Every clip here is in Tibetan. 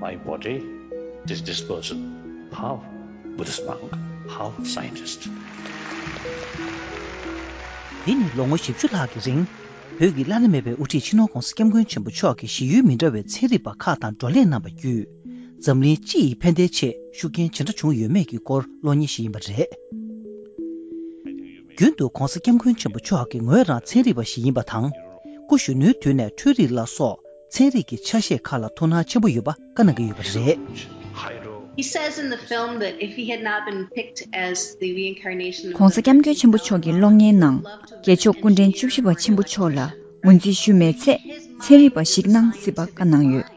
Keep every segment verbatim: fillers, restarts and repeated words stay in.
My body, this disposal. How Buddhist monk, how scientist. འདི་ནི་ལོ་ངོ་བཞི་བཅུ་ལྷག་གི་རིང་བོད་ཀྱི་བླ་ན་མེད་པའི་དབུ་ཁྲིད་སྤྱི་ནོར་༧གོང་ས་༧སྐྱབས་མགོན་ཆེན་པོ་མཆོག་གིས་ཞི་ཡུལ་མི་འདྲ་བའི་ཚན་རིག་པ་ཁག་དང་བགྲོ་གླེང་གནང་བ་བརྒྱུད། འཛམ་གླིང་སྤྱི་ཡི་ཕན་བདེའི་ཆེད་ཤུགས་རྐྱེན་ཇི་འདྲ་བྱུང་ཡོད་མེད་ཀྱི་སྐོར་གློག་བརྙན་ཞིག་ཡིན་པ་རེད། རྒྱུན་དུ་༧གོང་ས་༧སྐྱབས་མགོན་ཆེན་པོ་མཆོག་གིས་ངོས་རང་ཚན་རིག་པ་ཞིག་ཡིན་པ་དང་། སྐུ་གཞོན་ནུའི་དུས་ནས་འཕྲུལ་རིག་ལ་སོགས་ཚན་རིག་གི་ཆ་ཤས་ཁག་ལ་ཐུགས་སྣང་ཆེན་པོ་ཡོད་པ་བཀའ་གནང་གི་ཡོད་པ་རེད། He says in the film that if he had not been picked as the reincarnation of གོང་ས་༧སྐྱབས་མགོན་ཆེན་པོ་མཆོག་གི་གློག་བརྙན་ནང་རྒྱལ་མཆོག་སྐུ་ཕྲེང་བཅུ་བཞི་པ་ཆེན་པོ་མཆོག་ལ་ངོས་འཛིན་ཞུས་མེད་ཚེ་ཚན་རིག་པ་ཞིག་གནང་སྲིད་པ་བཀའ་གནང་ཡོད།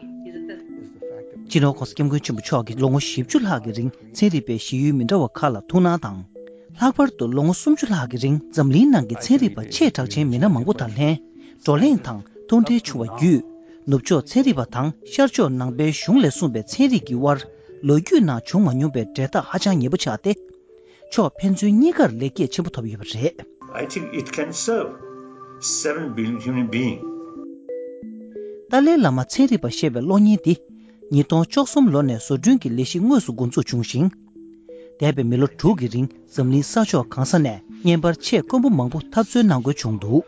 སྤྱི་ནོར་༧གོང་ས་༧སྐྱབས་མགོན་ཆེན་པོ་མཆོག་གིས་ལོ་ངོ་བཞི་བཅུ་ལྷག་གི་རིང་ཚན་རིག་པའི་ཞི་ཡུལ་མི་འདྲ་བ་ཁག་ལ་ཐུགས་སྣང་དང་། ལྷག་པར་དུ་ལོ་ངོ་སུམ་ཅུ་ལྷག་གི་རིང་འཛམ་གླིང་ནང་གི་ཚན་རིག་པ་ཆེས་གྲགས་ཆེན་མི་སྣ་མང་པོ་དང་ལྷན་བགྲོ་གླེང་དང་མཐོང་འབྲེལ་བྱུང་བ་བརྒྱུད། ནུབ་ཕྱོགས་ཚན་རིག་པ་དང་ཤར་ཕྱོགས་ནང་པའི་གཞུང་ལས་གསུངས་པའི་ཚན་རིག་གི་དབར་ལོ་རྒྱུས་ནང་བྱུང་མ་མྱོང་པའི་འབྲེལ་ཐག་ཧ་ཅང་ཉེ་པོ་ཆགས་ཏེ། ཕྱོགས་ཕན་ཚུན་གཉིས་ཀར་ལེགས་སྐྱེས་ཆེན་པོ་ཐོབ་ཡོད་པ་རེད། I think it can serve seven billion human being. ཏཱ་ལའི་བླ་མ་ཚན་རིག་པ་ཞེས་པའི་གློག་བརྙན་འདི་ཉིས་སྟོང་བཅུ་གསུམ་ལོ་ནས་བཟོ་སྐྲུན་གྱི་ལས་གཞི་དངོས་སུ་འགོ་འཛུགས་བྱུང་ཞིང་། འདས་པའི་མི་ལོ་དྲུག་གི་རིང་འཛམ་གླིང་ས་ཕྱོགས་གང་ས་ནས་བརྙན་པར་ཆེས་དཀོན་པོ་མང་པོ་འཐབ་རྩོད་གནང་དགོས་བྱུང་འདུག་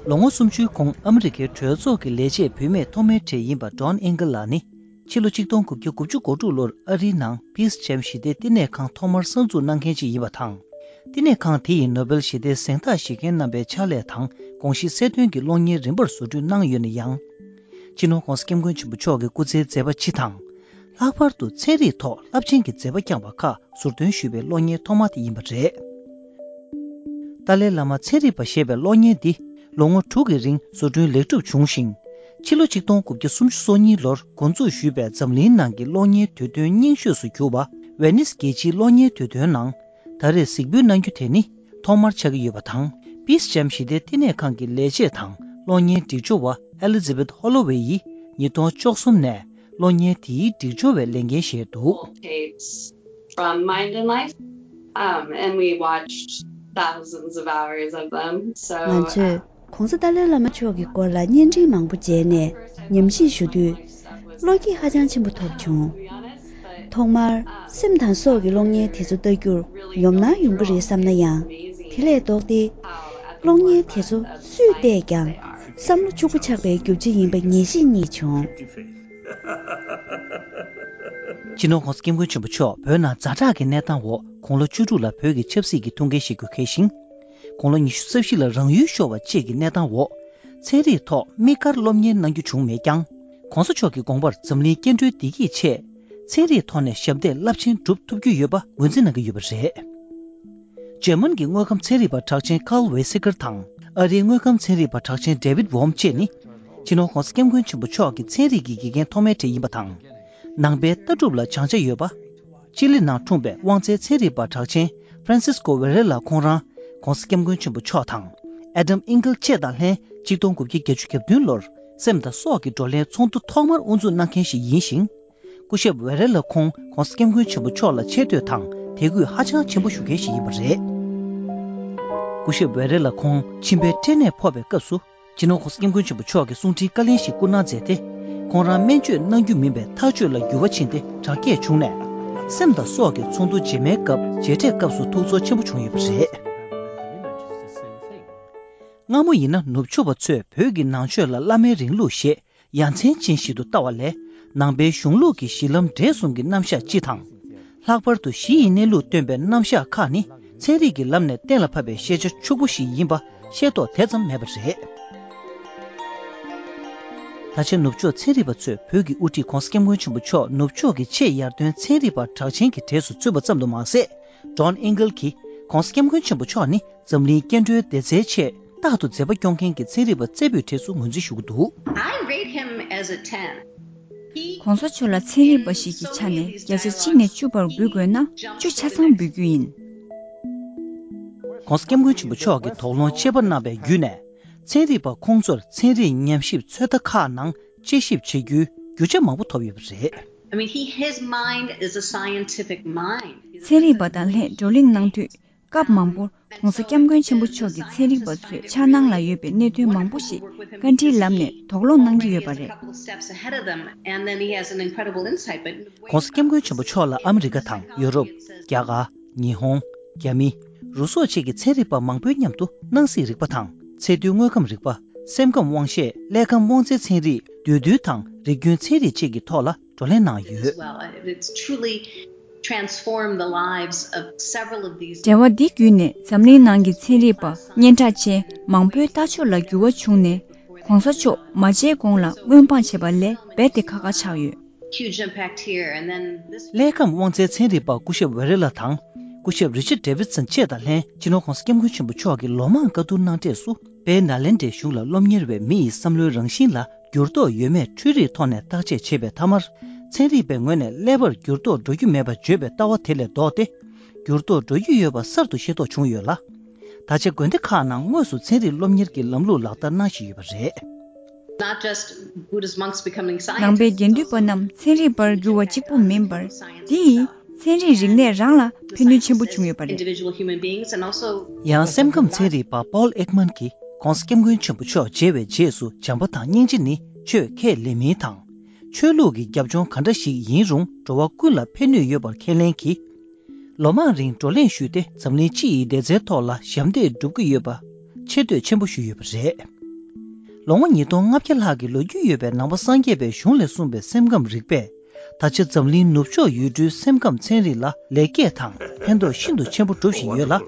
ལོ་ངོ་སུམ་ཅུའི་གོང་ཨ་མི་རི་ཀའི་གྲོས་ཚོགས་ཀྱི་ལས་བྱེད་བུད་མེད་ཐོག་མའི་གྲས་ཡིན་པ་ཌོན་ཨིང་གལ་ལགས་ནི། ཕྱི་ལོ་ཆིག་སྟོང་དགུ་བརྒྱ་དགུ་བཅུ་གོ་དྲུག་ལོར་ཨ་རིའི་ནང་པིས་ཇེམ་ཞི་བདེའི་བསྟི་གནས་ཁང་ཐོག་མར་གསར་འཛུགས་གནང་མཁན་ཅིག་ཡིན་པ་དང་། བསྟི་གནས་ཁང་དེ་ཡི་ནོ་བེལ་ཞི་བདེའི་གཟེངས་རྟགས་བཞེས་མཁན་རྣམ་པའི་ཕྱག་ལས་དང་དགོངས་གཞི་གསལ་སྟོན་གྱི་གློག་བརྙན་རིམ་པར་བཟོ་སྐྲུན་གནང་ཡོད་ན་ཡང་། སྤྱི་ནོར་༧གོང་ས་༧སྐྱབས་མགོན་ཆེན་པོ་མཆོག་གི་སྐུ་ཚེའི་མཛད་པ་སྤྱི་དང་། ལྷག་པར་དུ་ཚན་རིག་ཐོག་རླབས་ཆེན་གྱི་མཛད་པ་བསྐྱངས་པ་ཁག་ཟུར་འདོན་ཞུས་པའི་གློག་བརྙན་ཐོག་མ་དེ་ཡིན་པ་རེད། ཏཱ་ལའི་བླ་མ་ཚན་རིག་པ་ཞེས་པའི་གློག་བརྙན་འདི་ལོ་ངོ་དྲུག་གི་རིང་བཟོ་སྐྲུན་ལེགས་གྲུབ་བྱུང་ཞིང་། ཕྱི་ལོ་ཆིག་སྟོང་དགུ་བརྒྱ་སུམ་ཅུ་སོ་གཉིས་ལོར་འགོ་འཛུགས་ཞུས་པའི་འཛམ་གླིང་ནང་གི་གློག་བརྙན་དུས་སྟོན་རྙིང་ཤོས་སུ་གྱུར་པ་ཝེ་ནིས་རྒྱལ་སྤྱིའི་གློག་བརྙན་དུས་སྟོན་ནང་ད་རེས་གཟིགས་འབུལ་གནང་རྒྱུ་དེ་ནི་ཐོག་མར་ཆགས་ཀྱི་ཡོད་པ་དང་། པིས་ཇེམ་ཞི་བདེའི་བསྟི་གནས་ཁང་གི་ལས་བྱེད་དང་གློག་བརྙན་སྒྲིག་སྦྱོར་བ་ཨེ་ལི་ཛ་བེད་ཧོ་ལོ་ཝེ་ཡིས་ཉིས་སྟོང་བཅུ་གསུམ་ནས་གློག་བརྙན་དེའི་སྒྲིག་སྦྱོར་བའི་ལས་འགན་བཞེས་འདུག From Mind and Life, um, and we watched thousands of hours of them. So, ང་ཚོས་༧གོང་ས་ཏཱ་ལའི་བླ་མ་མཆོག་གི་སྐོར་ལ་བརྙན་འཕྲིན་མང་པོ་མཇལ་ནས་ཉམས་ཞིབ་ཞུ་དུས། བློ་སྐྱེད་ཧ་ཅང་ཆེན་པོ་ཐོབ་བྱུང་། ཐོག་མར་སེམས་དང་སྲོག་གི་གློག་བརྙན་དེ་ཚོ་ལྟ་རྒྱུར་ཡོམ་སྣང་ཡོང་གི་རེད་བསམ་ན་ཡང་། དེ་ལས་ལྡོག་སྟེ། གློག་བརྙན་དེ་ཚོ་སུས་བལྟས་ཀྱང་བསམ་བློ་ཕྱུག་པོ་ཆགས་པའི་རྒྱུ་ཆ་ཡིན་པ་ངེས་ཤེས་རྙེད་བྱུང་། སྤྱི་ནོར་༧གོང་ས་༧སྐྱབས་མགོན་ཆེན་པོ་མཆོག་བོད་ནང་ཛ་དྲག་གི་གནས་སྟངས་འོག་དགུང་ལོ་བཅུ་དྲུག་ལ་བོད་ཀྱི་ཆབ་སྲིད་ཀྱི་ཐུགས་འགན་བཞེས་རྒྱུ་འཁེལ་ཞིང་། དགུང་ལོ་ཉི་ཤུ་རྩ་བཞི་ལ་རང་ཡུལ་ཤོར་བ་བཅས་ཀྱི་གནས་སྟངས་འོག་ཚན་རིག་ཐོག་དམིགས་བཀར་སློབ་གཉེར་གནང་རྒྱུ་བྱུང་མེད་ཀྱང་། གོང་ས་མཆོག་གི་དགོངས་པར་འཛམ་གླིང་སྐྱེ་འགྲོའི་བདེ་སྐྱིད་ཆེད་ཚན་རིག་ཐོག་ནས་ཞབས་འདེགས་རླབས་ཆེན་སྒྲུབ་ཐུབ་རྒྱུ་ཡོད་པ་ངོས་འཛིན་གནང་གི་ཡོད་པ་རེད། འཇར་མན་གྱི་དངོས་ཁམས་ཚན་རིག་པ་གྲགས་ཅན་ཀཱརལ་ཝེ་སི་ཀར་དང་། ཨ་རིའི་དངོས་ཁམས་ཚན་རིག་པ་གྲགས་ཅན་ཌེ་བིད་ཝོམ་བཅས་ནི། སྤྱི་ནོར་༧གོང་ས་༧སྐྱབས་མགོན་ཆེན་པོ་མཆོག་གི་ཚན་རིག་གི་དགེ་རྒན་ཐོག་མའི་གྲས་ཡིན་པ་དང་། ནང་པའི་ལྟ་གྲུབ་ལ་སྦྱང་ཆ་ཡོད་པ། ཅི་ལི་ནང་འཁྲུངས་པའི་དབང་རྩའི་ཚན་རིག་པ་གྲགས་ཅན་ཧྥ་རན་སིས་ཀོ་ཝེ་རེ་ལ་ཁོང་རང་༧གོང་ས་༧སྐྱབས་མགོན་ཆེན་པོ་མཆོག་དང་། ཨེ་ཌམ་ཨིང་གལ་བཅས་དང་ལྷན་ཆིག་སྟོང་དགུ་བརྒྱ་བརྒྱད་ཅུ་གྱ་བདུན་ལོར་སེམས་དང་སྲོག་གི་བགྲོ་གླེང་ཚོགས་འདུ་ཐོག་མར་དབུ་འཛུགས་གནང་མཁན་ཞིག་ཡིན་ཞིང་། སྐུ་ཞབས་ཝེ་རེ་ལ་ཁོང་༧གོང་ས་༧སྐྱབས་མགོན་ཆེན་པོ་མཆོག་ལ་ཆེ་བསྟོད་དང་དད་གུས་ཧ་ཅང་ཆེན་པོ་ཞུ་མཁན་ཞིག་ཡིན་པ་རེད། སྐུ་ཞབས་ཝེ་རེ་ལ་ཁོང་མཆིན་པའི་སྐྲན་ནད་ཕོག་པའི་སྐབས་སུ། སྤྱི་ནོར་༧གོང་ས་༧སྐྱབས་མགོན་ཆེན་པོ་མཆོག་གིས་གསུང་འཕྲིན་བཀའ་ལན་ཞིག་བསྐུར་གནང་མཛད་དེ། ཁོང་རང་སྨན་བཅོས་གནང་རྒྱུ་མིན་པའི་ཐག་གཅོད་ལ་འགྱུར་བ་ཕྱིན་ཏེ་དྲག་སྐྱེད་བྱུང་ནས། སེམས་དང་སྲོག་གི་ཚོགས་འདུ་རྗེས་མའི་སྐབས་མཇལ་འཕྲད་སྐབས་སུ་ཐུགས་ཚོར་ཆེན་པོ་བྱུང་ཡོད་པ་རེད། སྔ་མོ་ཡིན་ན་ནུབ་ཕྱོགས་པ་ཚོས་བོད་ཀྱི་ནང་ཆོས་ལ་བླ་མའི་རིང་ལུགས་ཞེས་ཡ་མཚན་ཅན་ཞིག་ཏུ་ལྟ་བ་ལས། ནང་པའི་གཞུང་ལུགས་ཀྱི་གཞི་ལམ་འབྲས་གསུམ་གྱི་རྣམ་གཞག་སྤྱི་དང་། ལྷག་པར་དུ་གཞི་ཡི་གནས་ལུགས་སྟོན་པའི་རྣམ་གཞག་ཁག་ནི་ཚན་རིག་གི་ལམ་ནས་གཏན་ལ་ཕབ་པའི་ཤེས་བྱ་ཕྱུག་པོ་ཞིག་ཡིན་པ་ཤེས་རྟོགས་དེ་ཙམ་མེད་པ་རེད། ད་ཆ་ནུབ་ཕྱོགས་ཚན་རིག་པ་ཚོས་བོད་ཀྱི་དབུ་ཁྲིད་༧གོང་ས་༧སྐྱབས་མགོན་ཆེན་པོ་མཆོག་ནུབ་ཕྱོགས་ཀྱི་ཆེས་ཡར་ཐོན་ཚན་རིག་པ་གྲགས་ཅན་གྱི་གྲས་སུ་ཚུད་པ་ཙམ་དུ་མ་ཟད། ཌོན་ཨིང་གལ་གྱིས་༧གོང་ས་༧སྐྱབས་མགོན་ཆེན་པོ་མཆོག་ནི་འཛམ་གླིང་སྐྱེ་འགྲོའི་བདེ་རྩའི་ཆེད་རྟག་ཏུ་མཛད་པ་སྐྱོང་མཁན་གྱི་ཚན་རིག་པ་རྩེ་ཕུད་གྲས་སུ་ངོས་འཛིན་ཞུ་གི་འདུག I rate him as a ten. ༸གོང་ས་མཆོག་ལ་ཚན་རིག་པ་ཞིག་གི་ཆ་ནས་བརྒྱ་ཆ་གཅིག་ནས་བཅུ་བར་འབུལ་དགོས་ན་བཅུ་ཆ་ཚང་འབུལ་རྒྱུ་ཡིན། ༸གོང་ས་༸སྐྱབས་མགོན་ཆེན་པོ་མཆོག་གིས་དོགས་སློང་ཆེ་བ་གནང་བའི་བརྒྱུད་ནས། ཚན་རིག་པ་ཁོང་ཚོར་ཚན་རིག་ཉམས་ཞིབ་ཚོད་ལྟ་ཁག་ནང་དཔྱད་ཞིབ་བྱེད་རྒྱུའི་རྒྱུ་ཆ་མང་པོ་ཐོབ་ཡོད་པ་རེད། I mean, he, his mind is a scientific mind. ཚན་རིག་པ་དང་ལྷན་བགྲོ་གླེང་གནང་དུས། སྐབས་མང་པོར་༧གོང་ས་༧སྐྱབས་མགོན་ཆེན་པོ་མཆོག་གིས་ཚན་རིག་པ་ཚོས་འཆར་སྣང་ལ་ཡོད་པའི་གནད་དོན་མང་པོ་ཞིག་བཀའ་འདྲིའི་ལམ་ནས་དོགས་སློང་གནང་གི་ཡོད་པ་རེད།༧གོང་ས་༧སྐྱབས་མགོན་ཆེན་པོ་མཆོག་ལ་ཨ་མི་རི་ཀ་དང་ཡུ་རོབ། རྒྱ་གར། ཉི་ཧོང་། རྒྱ་མི། རུ་སོགས་བཅས་ཀྱི་ཚན་རིག་པ་མང་པོའི་མཉམ་དུ་སྣང་སྲིད་རིག་པ་དང་ཚད་རྡུལ་དངོས་ཁམས་རིག་པ། སེམས་ཁམས་དབང་ཤེས། ཀླད་ཁམས་དབང་རྩའི་ཚན་རིག་འདུས་རྡུལ་དང་རིགས་རྒྱུན་ཚན་རིག་བཅས་ཀྱི་ཐོག་ལ་བགྲོ་གླེང་གནང་ཡོད། Well, it's truly transformed the lives of several of these འབྲེལ་བ་འདི་བརྒྱུད་ནས་འཛམ་གླིང་ནང་གི་ཚན་རིག་པ་སྙན་གྲགས་ཅན་མང་པོའི་ལྟ་ཕྱོགས་ལ་འགྱུར་བ་བྱུང་ནས་༧གོང་ས་མཆོག་མ་མཇལ་གོང་ལ་སྔོན་དཔག་བྱེད་པ་ལས་རྦད་དེ་ཁག་ཁག་ཆགས་ཡོད། Huge impact here, and then this ཀླད་ཁམས་དབང་རྩའི་ཚན་རིག་པ་སྐུ་ཞབས་ཝེ་རེ་ལ་དང་སྐུ་ཞབས་རི་ཆར་ཌེ་བིད་སན་བཅས་དང་ལྷན་སྤྱི་ནོར་༧གོང་ས་༧སྐྱབས་མགོན་ཆེན་པོ་མཆོག་གིས་ལོ་མང་བཀའ་བསྡུར་གནང་འབྲས་སུ་དཔལ་ནཱ་ལེནྡྲའི་གཞུང་ལ་སློབ་གཉེར་བའི་མི་ཡི་བསམ་བློའི་རང་བཞིན་ལ་འགྱུར་ལྡོག་ཡོད་མེད་འཕྲུལ་རིག་ཐོག་ནས་བརྟག་དཔྱད་བྱེད་པའི་མཐའ་མར། ཚན་རིག་པའི་ངོས་ནས་ཀླད་པར་འགྱུར་ལྡོག་འགྲོ་རྒྱུ་མེད་པ་བརྗོད་པའི་ལྟ་བ་དེ་ལས་ལྡོག་སྟེ། འགྱུར་ལྡོག་འགྲོ་རྒྱུ་ཡོད་པ་གསར་དུ་ཤེས་རྟོགས་བྱུང་ཡོད་ལ། ད་ཆ་དགོན་སྡེ་ཁག་ནང་དངོས་སུ་ཚན་རིག་སློབ་གཉེར་གྱི་ལམ་ལུགས་ལག་བསྟར་གནང་བཞིན་ཡོད་པ་རེད། Not just Buddhist monks becoming ནང་པའི་དགེ་འདུན་པ་scientists. རྣམས་ཚན་རིག་པར་འགྱུར་བ་གཅིག་པུ་མིན་པར། འདི་ཡིས་ཚན་རིག་རིག་གནས་རང་ལ་ཕན་ནུས་ཆེན་པོ་བྱུང་ཡོད་པ་རེད། Individual human beings and also ཡང་སེམས་ཁམས་ཚན་རིག་པ་པོལ་ཨེག་མན་གྱིས་༧གོང་ས་༧སྐྱབས་མགོན་ཆེན་པོ་མཆོག་མཇལ་བའི་རྗེས་སུ་བྱམས་པ་དང་སྙིང་རྗེ་ནི་ཆོས་ཁས་ལེན་མིན་དང་། ཆོས་ལུགས་ཀྱི་རྒྱབ་ལྗོངས་ག་འདྲ་ཞིག་ཡིན་རུང་འགྲོ་བ་ཀུན་ལ་ཕན་ནུས་ཡོད་པར་ཁས་ལེན་གྱིས། ལོ་མང་རིང་བགྲོ་གླེང་ཞུས་ཏེ་འཛམ་གླིང་སྤྱི་ཡི་བདེ་རྩའི་ཐོག་ལ་ཞབས་འདེགས་སྒྲུབ་ཀྱི་ཡོད་པ་ཆེ་བསྟོད་ཆེན་པོ་ཞུས་ཡོད་པ་རེད། ལོ་ངོ་ཉིས་སྟོང་ལྔ་བརྒྱ་ལྷག་གི་ལོ་རྒྱུས་ཡོད་པའི་ནང་པ་སངས་རྒྱས་པའི་གཞུང་ལས་གསུངས་པའི་སེམས་ཁམས་རིག་པས། ད་ཆ་འཛམ་གླིང་ནུབ་ཕྱོགས་ཡུལ་གྲུའི་སེམས་ཁམས་ཚན་རིག་ལ་ལེགས་སྐྱེས་དང་ཕན་ཐོགས་ཤིན་ཏུ་ཆེན་པོ་འགྲུབ་བཞིན་ཡོད་ལ།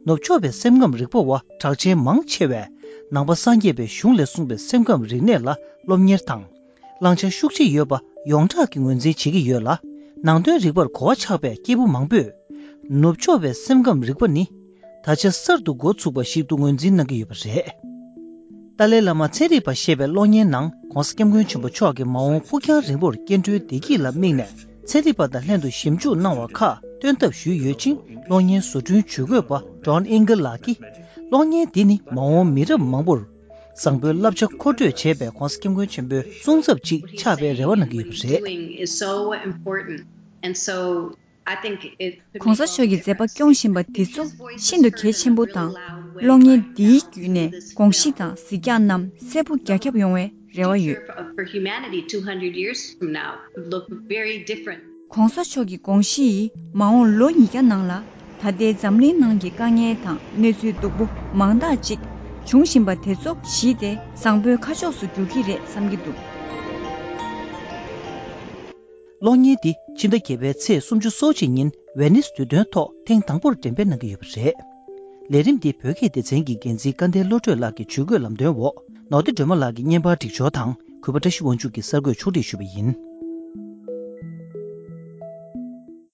ནུབ་ཕྱོགས་པའི་སེམས་ཁམས་རིག་པ་བ་གྲགས་ཅན་མང་ཆེ་བས་ནང་པ་སངས་རྒྱས་པའི་གཞུང་ལས་གསུངས་པའི་སེམས་ཁམས་རིག་གནས་ལ་སློབ་གཉེར་དང་། བླང་བྱ་ཤུགས་ཆེ་ཡོད་པ་ཡོངས་གྲགས་ཀྱིས་ངོས་འཛིན་བྱེད་ཀྱི་ཡོད་ལ། ནང་དོན་རིག་པར་གོ་བ་ཆགས་པའི་སྐྱེས་བུ་མང་པོས། ནུབ་ཕྱོགས་པའི་སེམས་ཁམས་རིག་པ་ནི། ད་ཆ་གསར་དུ་འགོ་ཚུགས་པ་ཞིག་ཏུ་ངོས་འཛིན་གནང་གི་ཡོད་པ་རེད། ཏཱ་ལའི་བླ་མ་ཚན་རིག་པ་ཞེས་པའི་གློག་བརྙན་ནང་༧གོང་ས་༧སྐྱབས་མགོན་ཆེན་པོ་མཆོག་གིས་མ་འོངས་ཕུགས་རྒྱང་རིང་པོར་སྐྱེ་འགྲོའི་བདེ་སྐྱིད་ལ་དམིགས་ནས་ཚན་རིག་པ་དང་ལྷན་དུ་ཞིབ་འཇུག་གནང་བ་ཁག་སྟོན་ཐབས་ཞུས་ཡོད་ཅིང་། གློག་བརྙན་བཟོ་སྐྲུན་ཇུས་འགོད་པ་ཌོན་ཨིང་གལ་ལགས་ཀྱིས། གློག་བརྙན་འདི་ནི་མ་འོངས་མི་རབས་མང་པོར། བཟང་པོའི་བསླབ་བྱ་མཁོ་སྤྲོད་བྱས་པའི་༧གོང་ས་༧སྐྱབས་མགོན་ཆེན་པོའི་གསུང་ཚབ་ཅིག་ཆགས་པའི་རེ་བ་གནང་གི་ཡོད་པ་རེད། Doing is so important, and so I think it could གོང་ས་མཆོག་གི་མཛད་པ་སྐྱོང་བཞིན་པ་འདི་ཚོ་ཤིན་ཏུ་གལ་ཆེན་པོ་དང་། གློག་བརྙན་འདིའི་བརྒྱུད་ནས་དགོངས་གཞི་དང་གཟིགས་རྒྱག་རྣམས་གསལ་པོ་རྒྱ་ཁྱབ་ཡོང་བའི་རེ་བ་ཡོད། for humanity two hundred years from now could look very different. ༧གོང་ས་མཆོག་གི་དགོངས་གཞི་ཡིས་མ་འོངས་ལོ་ཉིས་བརྒྱ་ནང་ལ་ད་ལྟའི་འཛམ་གླིང་ནང་གི་དཀའ་ངལ་དང་གནས་ཚུལ་སྡུག་པོ་མང་དག་ཅིག་འབྱུང་བཞིན་པ་དེ་ཚོ་གཞི་དེ་བཟང་པོའི་ཁ་ཕྱོགས་སུ་འགྱུར་གྱི་རེད་བསམ་གྱི་འདུག་གློག་བརྙན་འདི་ཕྱི་ཟླ་བརྒྱད་པའི་ཚེས་སུམ་ཅུ་སོ་གཅིག་ཉིན་ཝེ་ནིས་དུས་སྟོན་ཐོག་ཐེངས་དང་པོར་འགྲེམས་སྤེལ་གནང་གི་ཡོད་པ་རེད། ལས་རིམ་འདི་བོད་སྐད་སྡེ་ཚན་གྱི་འགན་འཛིན་སྐལ་ལྡན་བློ་གྲོས་ལགས་ཀྱི་ཇུས་འགོད་ལམ་སྟོན་འོག་ནོར་བདེ་སྒྲོལ་མ་ལགས་ཀྱིས་བརྙན་པར་སྒྲིག་སྦྱོར་དང་གུས་པ་བཀྲ་ཤིས་དབང་ཕྱུག་གིས་གསར་འགོད་ཕྱོགས་སྒྲིག་ཞུས་པ་ཡིན།